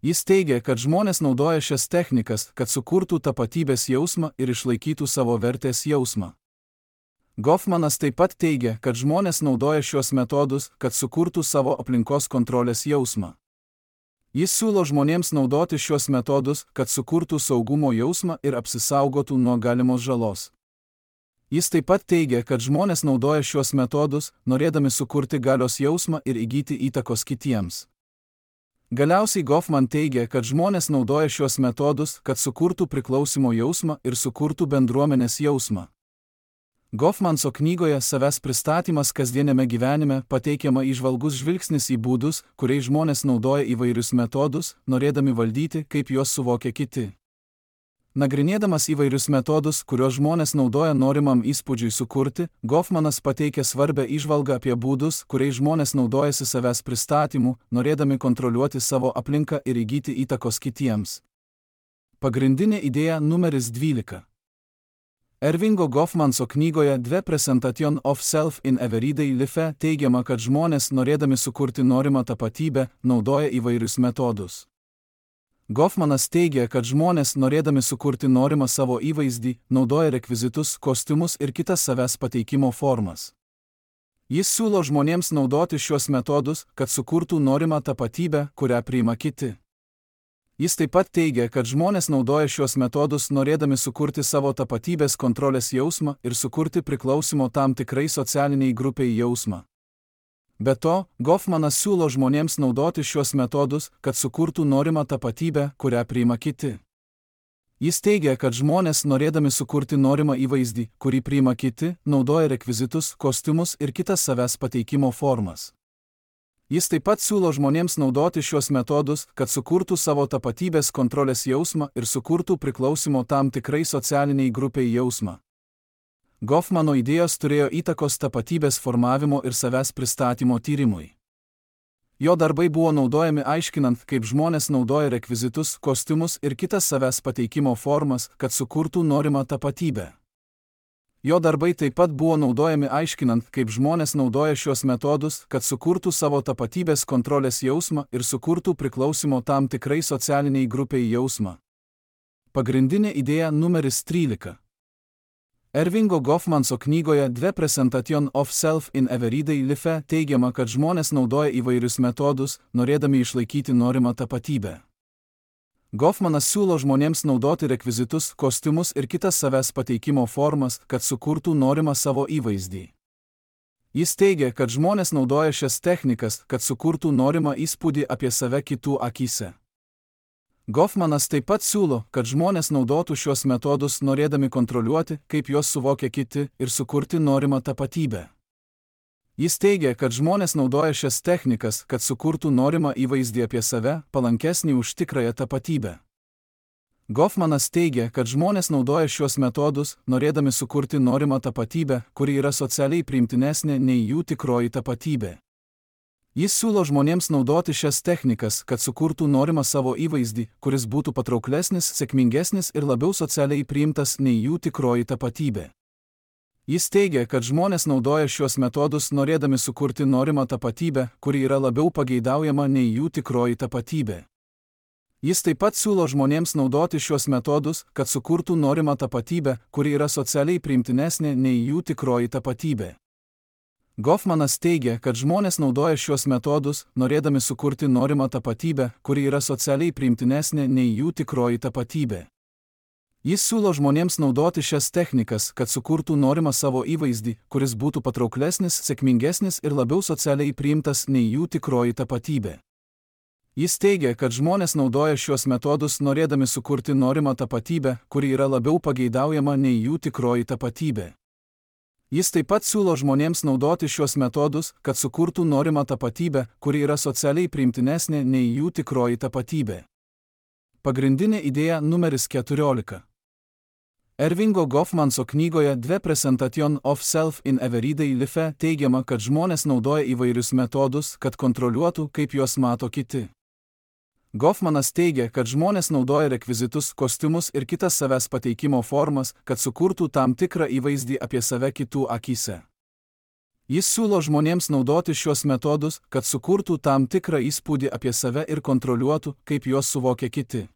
Jis teigia, kad žmonės naudoja šias technikas, kad sukurtų tapatybės jausmą ir išlaikytų savo vertės jausmą. Goffmanas taip pat teigia, kad žmonės naudoja šios metodus, kad sukurtų savo aplinkos kontrolės jausmą. Jis siūlo žmonėms naudoti šios metodus, kad sukurtų saugumo jausmą ir apsisaugotų nuo galimos žalos. Jis taip pat teigia, kad žmonės naudoja šios metodus, norėdami sukurti galios jausmą ir įgyti įtakos kitiems. Galiausiai Goffman teigia, kad žmonės naudoja šios metodus, kad sukurtų priklausimo jausmą ir sukurtų bendruomenės jausmą. Goffmanso knygoje Savęs pristatymas kasdieniame gyvenime pateikiama įžvalgus žvilgsnis į būdus, kuriais žmonės naudoja įvairius metodus, norėdami valdyti, kaip juos suvokia kiti. Nagrinėdamas įvairius metodus, kuriuos žmonės naudoja norimam įspūdžiui sukurti, Goffmanas pateikia svarbę įžvalgą apie būdus, kuriais žmonės naudojasi savęs pristatymu, norėdami kontroliuoti savo aplinką ir įgyti įtakos kitiems. Pagrindinė idėja numeris dvylika. Ervingo Goffmanso knygoje The Presentation of Self in Everyday Life teigiama, kad žmonės, norėdami sukurti norimą tapatybę, naudoja įvairius metodus. Goffmanas teigia, kad žmonės, norėdami sukurti norimą savo įvaizdį, naudoja rekvizitus, kostiumus ir kitas savęs pateikimo formas. Jis siūlo žmonėms naudoti šios metodus, kad sukurtų norimą tapatybę, kurią priima kiti. Jis taip pat teigia, kad žmonės naudoja šios metodus norėdami sukurti savo tapatybės kontrolės jausmą ir sukurti priklausimo tam tikrai socialiniai grupiai jausmą. Be to, Goffmanas siūlo žmonėms naudoti šios metodus, kad sukurtų norimą tapatybę, kurią priima kiti. Jis teigia, kad žmonės, norėdami sukurti norimą įvaizdį, kurį priima kiti, naudoja rekvizitus, kostiumus ir kitas savęs pateikimo formas. Jis taip pat siūlo žmonėms naudoti šios metodus, kad sukurtų savo tapatybės kontrolės jausmą ir sukurtų priklausimo tam tikrai socialiniai grupiai jausmą. Goffmano idėjos turėjo įtakos tapatybės formavimo ir savęs pristatymo tyrimui. Jo darbai buvo naudojami aiškinant, kaip žmonės naudoja rekvizitus, kostiumus ir kitas savęs pateikimo formas, kad sukurtų norimą tapatybę. Jo darbai taip pat buvo naudojami aiškinant, kaip žmonės naudoja šios metodus, kad sukurtų savo tapatybės kontrolės jausmą ir sukurtų priklausimo tam tikrai socialiniai grupiai jausmą. Pagrindinė idėja numeris trylika. Ervingo Goffmanso knygoje The Presentation of Self in Everyday Life teigiama, kad žmonės naudoja įvairius metodus, norėdami išlaikyti norimą tapatybę. Goffmanas siūlo žmonėms naudoti rekvizitus, kostiumus ir kitas savęs pateikimo formas, kad sukurtų norimą savo įvaizdį. Jis teigia, kad žmonės naudoja šias technikas, kad sukurtų norimą įspūdį apie save kitų akyse. Goffmanas taip pat siūlo, kad žmonės naudotų šios metodus norėdami kontroliuoti, kaip juos suvokia kiti ir sukurti norimą tapatybę. Jis teigia, kad žmonės naudoja šias technikas, kad sukurtų norimą įvaizdį apie save, palankesnį už tikrąją tapatybę. Goffmanas teigia, kad žmonės naudoja šios metodus, norėdami sukurti norimą tapatybę, kuri yra socialiai priimtinesnė nei jų tikroji tapatybė. Jis siūlo žmonėms naudoti šias technikas, kad sukurtų norimą savo įvaizdį, kuris būtų patrauklesnis, sėkmingesnis ir labiau socialiai priimtas nei jų tikroji tapatybė. Jis teigia, kad žmonės naudoja šios metodus norėdami sukurti norimą tapatybę, kuri yra labiau pageidaujama nei jų tikroji tapatybė. Jis taip pat siūlo žmonėms naudoti šios metodus, kad sukurtų norimą tapatybę, kuri yra socialiai priimtinesnė nei jų tikroji tapatybė. Goffmanas teigia, kad žmonės naudoja šios metodus, norėdami sukurti norimą tapatybę, kuri yra socialiai priimtinesnė nei jų tikroji tapatybė. Jis siūlo žmonėms naudoti šias technikas, kad sukurtų norimą savo įvaizdį, kuris būtų patrauklesnis, sėkmingesnis ir labiau socialiai priimtas nei jų tikroji tapatybė. Jis teigia, kad žmonės naudoja šios metodus norėdami sukurti norimą tapatybę, kuri yra labiau pageidaujama nei jų tikroji tapatybė. Jis taip pat siūlo žmonėms naudoti šios metodus, kad sukurtų norimą tapatybę, kuri yra socialiai priimtinesnė nei jų tikroji tapatybė. Pagrindinė idėja numeris keturiolika. Ervingo Goffmanso knygoje The Presentation of Self in Everyday Life teigiama, kad žmonės naudoja įvairius metodus, kad kontroliuotų, kaip juos mato kiti. Goffmanas teigia, kad žmonės naudoja rekvizitus, kostiumus ir kitas savęs pateikimo formas, kad sukurtų tam tikrą įvaizdį apie save kitų akyse. Jis siūlo žmonėms naudoti šios metodus, kad sukurtų tam tikrą įspūdį apie save ir kontroliuotų, kaip juos suvokia kiti.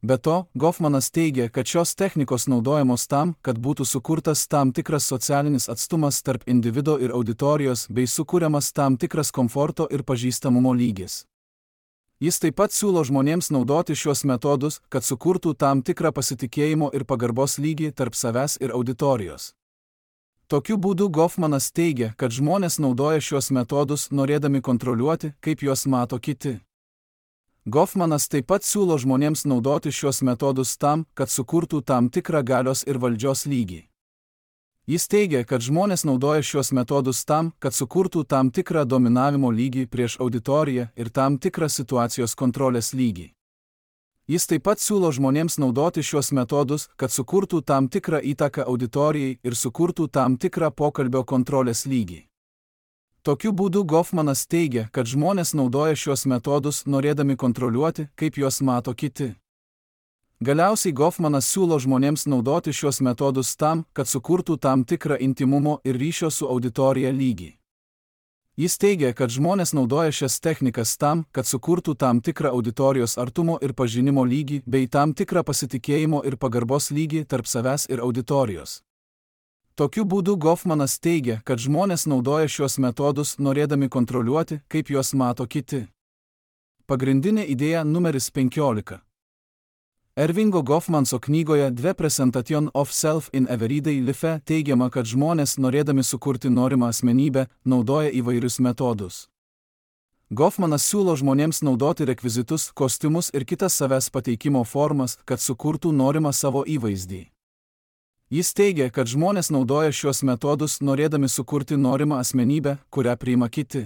Be to, Goffmanas teigia, kad šios technikos naudojamos tam, kad būtų sukurtas tam tikras socialinis atstumas tarp individo ir auditorijos bei sukūriamas tam tikras komforto ir pažįstamumo lygis. Jis taip pat siūlo žmonėms naudoti šios metodus, kad sukurtų tam tikrą pasitikėjimo ir pagarbos lygį tarp savęs ir auditorijos. Tokiu būdu Goffmanas teigia, kad žmonės naudoja šios metodus norėdami kontroliuoti, kaip juos mato kiti. Goffmanas taip pat siūlo žmonėms naudoti šios metodus tam, kad sukurtų tam tikrą galios ir valdžios lygį. Jis teigia, kad žmonės naudoja šios metodus tam, kad sukurtų tam tikrą dominavimo lygį prieš auditoriją ir tam tikrą situacijos kontrolės lygį. Jis taip pat siūlo žmonėms naudoti šios metodus, kad sukurtų tam tikrą įtaką auditorijai ir sukurtų tam tikrą pokalbio kontrolės lygį. Tokiu būdu Goffmanas teigia, kad žmonės naudoja šios metodus norėdami kontroliuoti, kaip juos mato kiti. Galiausiai Goffmanas siūlo žmonėms naudoti šios metodus tam, kad sukurtų tam tikrą intimumo ir ryšio su auditorija lygį. Jis teigia, kad žmonės naudoja šias technikas tam, kad sukurtų tam tikrą auditorijos artumo ir pažinimo lygį bei tam tikrą pasitikėjimo ir pagarbos lygį tarp savęs ir auditorijos. Tokiu būdu Goffmanas teigia, kad žmonės naudoja šios metodus norėdami kontroliuoti, kaip juos mato kiti. Pagrindinė idėja numeris penkiolika. Ervingo Goffmanso knygoje The Presentation of Self in Everyday Life teigiama, kad žmonės norėdami sukurti norimą asmenybę, naudoja įvairius metodus. Goffmanas siūlo žmonėms naudoti rekvizitus, kostiumus ir kitas savęs pateikimo formas, kad sukurtų norimą savo įvaizdį. Jis teigia, kad žmonės naudoja šios metodus norėdami sukurti norimą asmenybę, kurią priima kiti.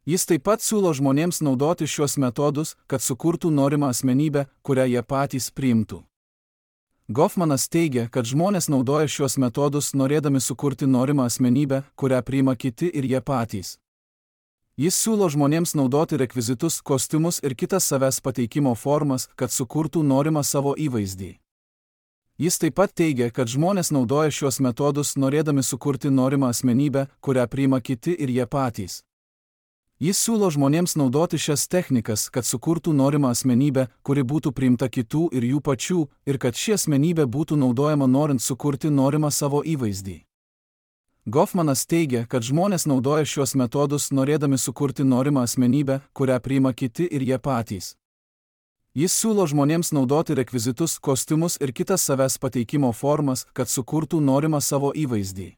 Jis taip pat siūlo žmonėms naudoti šios metodus, kad sukurtų norimą asmenybę, kurią jie patys priimtų. Goffmanas teigia, kad žmonės naudoja šios metodus norėdami sukurti norimą asmenybę, kurią priima kiti ir jie patys. Jis siūlo žmonėms naudoti rekvizitus, kostiumus ir kitas savęs pateikimo formas, kad sukurtų norimą savo įvaizdį. Jis taip pat teigia, kad žmonės naudoja šios metodus norėdami sukurti norimą asmenybę, kurią priima kiti ir jie patys. Jis siūlo žmonėms naudoti šias technikas, kad sukurtų norimą asmenybę, kuri būtų priimta kitų ir jų pačių, ir kad ši asmenybė būtų naudojama norint sukurti norimą savo įvaizdį. Goffmanas teigia, kad žmonės naudoja šios metodus norėdami sukurti norimą asmenybę, kurią priima kiti ir jie patys. Jis siūlo žmonėms naudoti rekvizitus, kostiumus ir kitas savęs pateikimo formas, kad sukurtų norimą savo įvaizdį.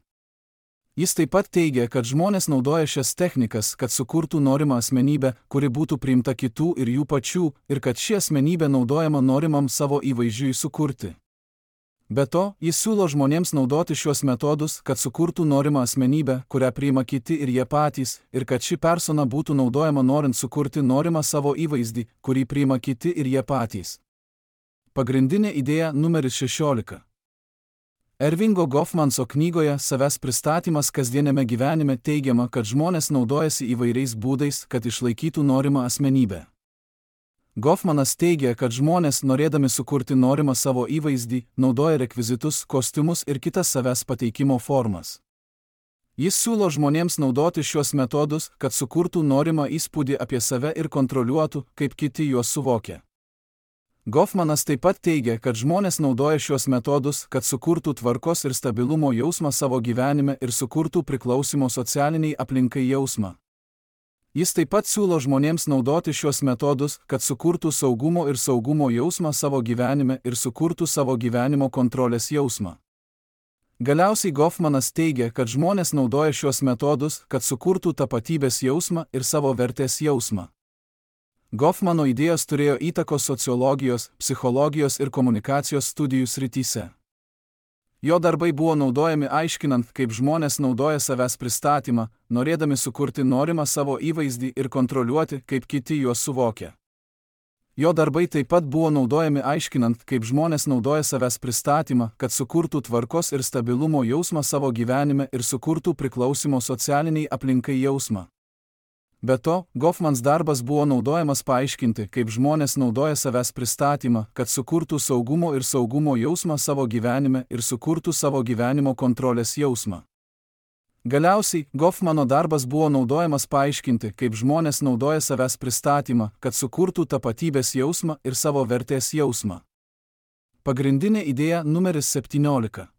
Jis taip pat teigia, kad žmonės naudoja šias technikas, kad sukurtų norimą asmenybę, kuri būtų priimta kitų ir jų pačių, ir kad ši asmenybė naudojama norimam savo įvaizdžiui sukurti. Be to, jis siūlo žmonėms naudoti šios metodus, kad sukurtų norimą asmenybę, kurią priima kiti ir jie patys, ir kad ši persona būtų naudojama norint sukurti norimą savo įvaizdį, kurį priima kiti ir jie patys. Pagrindinė idėja numeris šešiolika. Ervingo Goffmanso knygoje Savęs pristatymas kasdieniame gyvenime teigiama, kad žmonės naudojasi įvairiais būdais, kad išlaikytų norimą asmenybę. Goffmanas teigia, kad žmonės, norėdami sukurti norimą savo įvaizdį, naudoja rekvizitus, kostiumus ir kitas savęs pateikimo formas. Jis siūlo žmonėms naudoti šios metodus, kad sukurtų norimą įspūdį apie save ir kontroliuotų, kaip kiti juos suvokia. Goffmanas taip pat teigia, kad žmonės naudoja šios metodus, kad sukurtų tvarkos ir stabilumo jausmą savo gyvenime ir sukurtų priklausimo socialiniai aplinkai jausmą. Jis taip pat siūlo žmonėms naudoti šios metodus, kad sukurtų saugumo ir saugumo jausmą savo gyvenime ir sukurtų savo gyvenimo kontrolės jausmą. Galiausiai Goffmanas teigia, kad žmonės naudoja šios metodus, kad sukurtų tapatybės jausmą ir savo vertės jausmą. Goffmano idėjos turėjo įtakos sociologijos, psichologijos ir komunikacijos studijų srityse. Jo darbai buvo naudojami aiškinant, kaip žmonės naudoja savęs pristatymą, norėdami sukurti norimą savo įvaizdį ir kontroliuoti, kaip kiti juos suvokia. Jo darbai taip pat buvo naudojami aiškinant, kaip žmonės naudoja savęs pristatymą, kad sukurtų tvarkos ir stabilumo jausmą savo gyvenime ir sukurtų priklausimo socialiniai aplinkai jausmą. Be to, Goffmans darbas buvo naudojamas paaiškinti, kaip žmonės naudoja savęs pristatymą, kad sukurtų saugumo ir saugumo jausmą savo gyvenime ir sukurtų savo gyvenimo kontrolės jausmą. Galiausiai, Goffmano darbas buvo naudojamas paaiškinti, kaip žmonės naudoja savęs pristatymą, kad sukurtų tapatybės jausmą ir savo vertės jausmą. Pagrindinė idėja numeris septyniolika.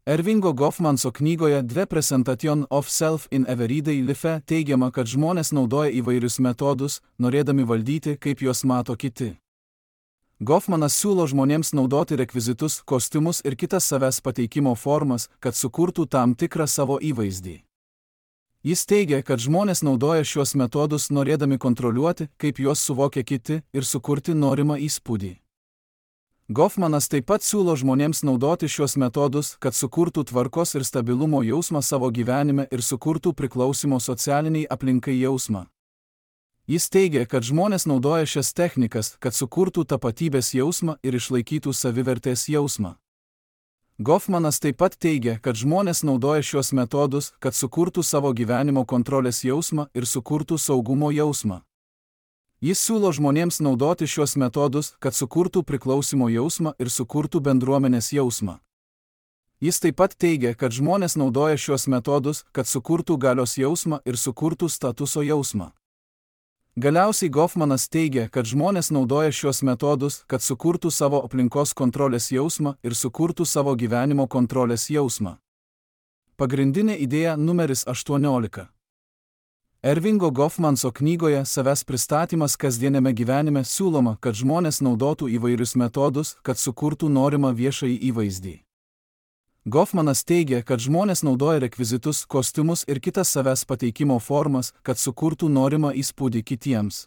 Ervingo Goffmanso knygoje The Presentation of Self in Everyday Life teigiama, kad žmonės naudoja įvairius metodus, norėdami valdyti, kaip juos mato kiti. Goffmanas siūlo žmonėms naudoti rekvizitus, kostiumus ir kitas savęs pateikimo formas, kad sukurtų tam tikrą savo įvaizdį. Jis teigia, kad žmonės naudoja šios metodus norėdami kontroliuoti, kaip juos suvokia kiti ir sukurti norimą įspūdį. Goffmanas taip pat siūlo žmonėms naudoti šios metodus, kad sukurtų tvarkos ir stabilumo jausmą savo gyvenime ir sukurtų priklausimo socialiniai aplinkai jausmą. Jis teigia, kad žmonės naudoja šias technikas, kad sukurtų tapatybės jausmą ir išlaikytų savivertės jausmą. Goffmanas taip pat teigia, kad žmonės naudoja šios metodus, kad sukurtų savo gyvenimo kontrolės jausmą ir sukurtų saugumo jausmą. Jis siūlo žmonėms naudoti šios metodus, kad sukurtų priklausimo jausmą ir sukurtų bendruomenės jausmą. Jis taip pat teigia, kad žmonės naudoja šios metodus, kad sukurtų galios jausmą ir sukurtų statuso jausmą. Galiausiai Goffmanas teigia, kad žmonės naudoja šios metodus, kad sukurtų savo aplinkos kontrolės jausmą ir sukurtų savo gyvenimo kontrolės jausmą. Pagrindinė idėja numeris aštuoniolika. Ervingo Goffmanso knygoje Savęs pristatymas kasdieniame gyvenime siūloma, kad žmonės naudotų įvairius metodus, kad sukurtų norimą viešąjį įvaizdį. Goffmanas teigia, kad žmonės naudoja rekvizitus, kostiumus ir kitas savęs pateikimo formas, kad sukurtų norimą įspūdį kitiems.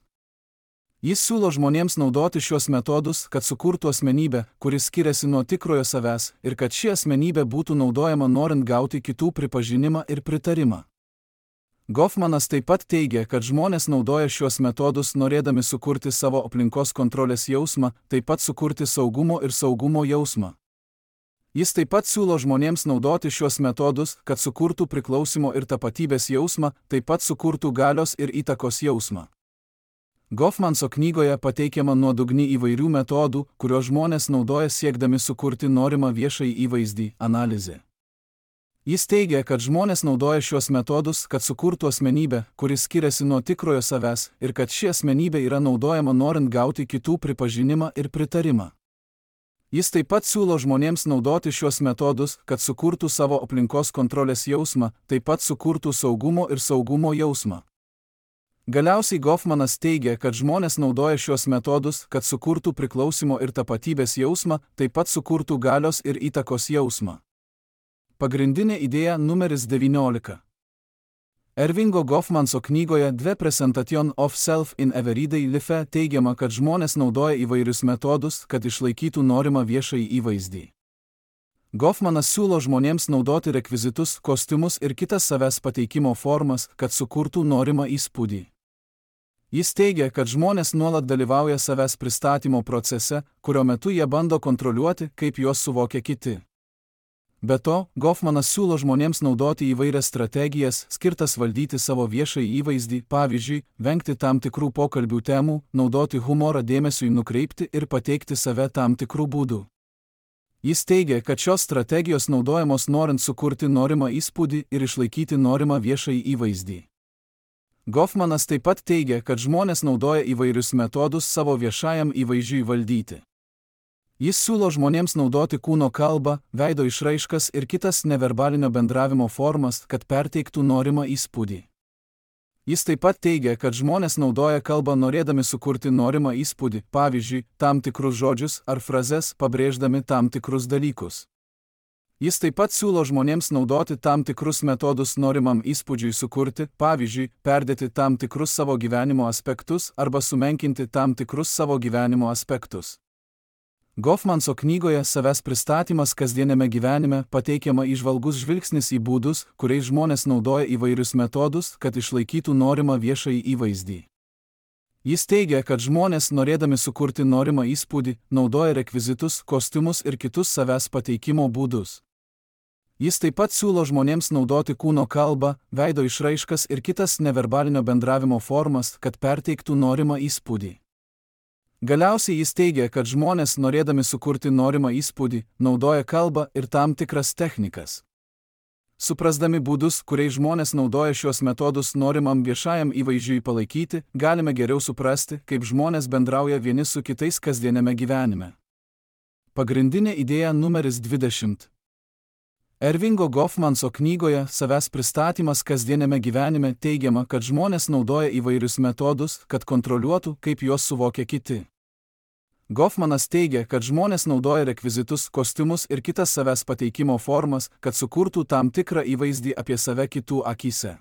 Jis siūlo žmonėms naudoti šios metodus, kad sukurtų asmenybę, kuris skiriasi nuo tikrojo savęs, ir kad ši asmenybė būtų naudojama norint gauti kitų pripažinimą ir pritarimą. Goffmanas taip pat teigia, kad žmonės naudoja šios metodus norėdami sukurti savo aplinkos kontrolės jausmą, taip pat sukurti saugumo ir saugumo jausmą. Jis taip pat siūlo žmonėms naudoti šios metodus, kad sukurtų priklausimo ir tapatybės jausmą, taip pat sukurtų galios ir įtakos jausmą. Goffmanso knygoje pateikiama nuodugni įvairių metodų, kuriuos žmonės naudoja siekdami sukurti norimą viešąjį įvaizdį – analizė. Jis teigia, kad žmonės naudoja šios metodus, kad sukurtų asmenybę, kuris skiriasi nuo tikrojo savęs, ir kad ši asmenybė yra naudojama norint gauti kitų pripažinimą ir pritarimą. Jis taip pat siūlo žmonėms naudoti šios metodus, kad sukurtų savo aplinkos kontrolės jausmą, taip pat sukurtų saugumo ir saugumo jausmą. Galiausiai Goffmanas teigia, kad žmonės naudoja šios metodus, kad sukurtų priklausimo ir tapatybės jausmą, taip pat sukurtų galios ir įtakos jausmą. Pagrindinė idėja numeris devyniolika. Ervingo Goffmanso knygoje The Presentation of Self in Everyday Life teigiama, kad žmonės naudoja įvairius metodus, kad išlaikytų norimą viešąjį įvaizdį. Goffmanas siūlo žmonėms naudoti rekvizitus, kostiumus ir kitas savęs pateikimo formas, kad sukurtų norimą įspūdį. Jis teigia, kad žmonės nuolat dalyvauja savęs pristatymo procese, kurio metu jie bando kontroliuoti, kaip juos suvokia kiti. Be to, Goffmanas siūlo žmonėms naudoti įvairias strategijas, skirtas valdyti savo viešąjį įvaizdį, pavyzdžiui, vengti tam tikrų pokalbių temų, naudoti humorą dėmesiui nukreipti ir pateikti save tam tikrų būdų. Jis teigia, kad šios strategijos naudojamos norint sukurti norimą įspūdį ir išlaikyti norimą viešąjį įvaizdį. Goffmanas taip pat teigia, kad žmonės naudoja įvairius metodus savo viešajam įvaizdžiui valdyti. Jis siūlo žmonėms naudoti kūno kalbą, veido išraiškas ir kitas neverbalinio bendravimo formas, kad perteiktų norimą įspūdį. Jis taip pat teigia, kad žmonės naudoja kalbą norėdami sukurti norimą įspūdį, pavyzdžiui, tam tikrus žodžius ar frazes, pabrėždami tam tikrus dalykus. Jis taip pat siūlo žmonėms naudoti tam tikrus metodus norimam įspūdžiui sukurti, pavyzdžiui, perdėti tam tikrus savo gyvenimo aspektus arba sumenkinti tam tikrus savo gyvenimo aspektus. Goffmanso knygoje Savęs pristatymas kasdieniame gyvenime pateikiama įžvalgus žvilgsnis į būdus, kuriais žmonės naudoja įvairius metodus, kad išlaikytų norimą viešąjį įvaizdį. Jis teigia, kad žmonės, norėdami sukurti norimą įspūdį, naudoja rekvizitus, kostiumus ir kitus savęs pateikimo būdus. Jis taip pat siūlo žmonėms naudoti kūno kalbą, veido išraiškas ir kitas neverbalinio bendravimo formas, kad perteiktų norimą įspūdį. Galiausiai jis teigia, kad žmonės, norėdami sukurti norimą įspūdį, naudoja kalbą ir tam tikras technikas. Suprasdami būdus, kuriais žmonės naudoja šios metodus norimam viešajam įvaizdžiui palaikyti, galime geriau suprasti, kaip žmonės bendrauja vieni su kitais kasdieniame gyvenime. Pagrindinė idėja numeris dvidešimt. Ervingo Goffmanso knygoje Savęs pristatymas kasdieniame gyvenime teigiama, kad žmonės naudoja įvairius metodus, kad kontroliuotų, kaip juos suvokia kiti. Goffmanas teigia, kad žmonės naudoja rekvizitus, kostiumus ir kitas savęs pateikimo formas, kad sukurtų tam tikrą įvaizdį apie save kitų akyse.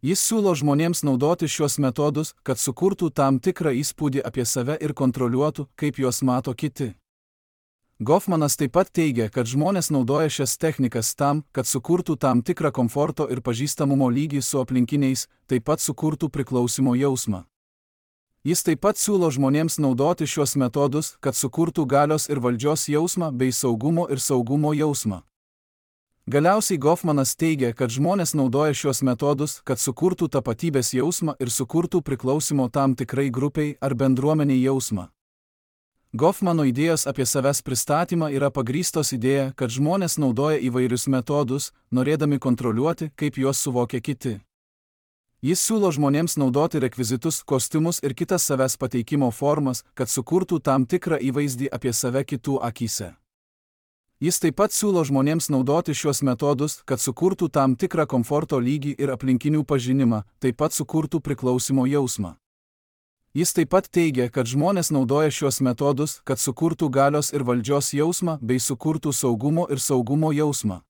Jis siūlo žmonėms naudoti šios metodus, kad sukurtų tam tikrą įspūdį apie save ir kontroliuotų, kaip juos mato kiti. Goffmanas taip pat teigia, kad žmonės naudoja šias technikas tam, kad sukurtų tam tikrą komforto ir pažįstamumo lygį su aplinkiniais, taip pat sukurtų priklausimo jausmą. Jis taip pat siūlo žmonėms naudoti šios metodus, kad sukurtų galios ir valdžios jausmą bei saugumo ir saugumo jausmą. Galiausiai Goffmanas teigia, kad žmonės naudoja šios metodus, kad sukurtų tapatybės jausmą ir sukurtų priklausimo tam tikrai grupiai ar bendruomeniai jausmą. Goffmano idėjos apie savęs pristatymą yra pagrįstos idėja, kad žmonės naudoja įvairius metodus, norėdami kontroliuoti, kaip juos suvokia kiti. Jis siūlo žmonėms naudoti rekvizitus, kostiumus ir kitas savęs pateikimo formas, kad sukurtų tam tikrą įvaizdį apie save kitų akyse. Jis taip pat siūlo žmonėms naudoti šios metodus, kad sukurtų tam tikrą komforto lygį ir aplinkinių pažinimą, taip pat sukurtų priklausimo jausmą. Jis taip pat teigia, kad žmonės naudoja šiuos metodus, kad sukurtų galios ir valdžios jausmą bei sukurtų saugumo ir saugumo jausmą.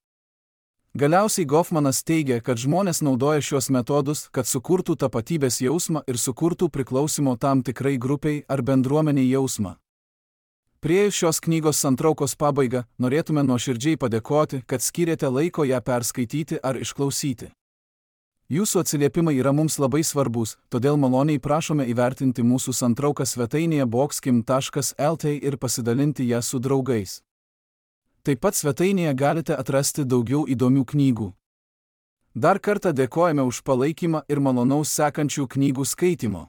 Galiausiai Goffmanas teigia, kad žmonės naudoja šiuos metodus, kad sukurtų tapatybės jausmą ir sukurtų priklausimo tam tikrai grupiai ar bendruomeniai jausmą. Priėjus šios knygos santraukos pabaigą, norėtume nuoširdžiai padėkoti, kad skyrėte laiko ją perskaityti ar išklausyti. Jūsų atsiliepimai yra mums labai svarbus, todėl maloniai prašome įvertinti mūsų santrauką svetainėje boxkim taškas lt ir pasidalinti ją su draugais. Taip pat svetainėje galite atrasti daugiau įdomių knygų. Dar kartą dėkojame už palaikymą ir malonaus sekančių knygų skaitimo.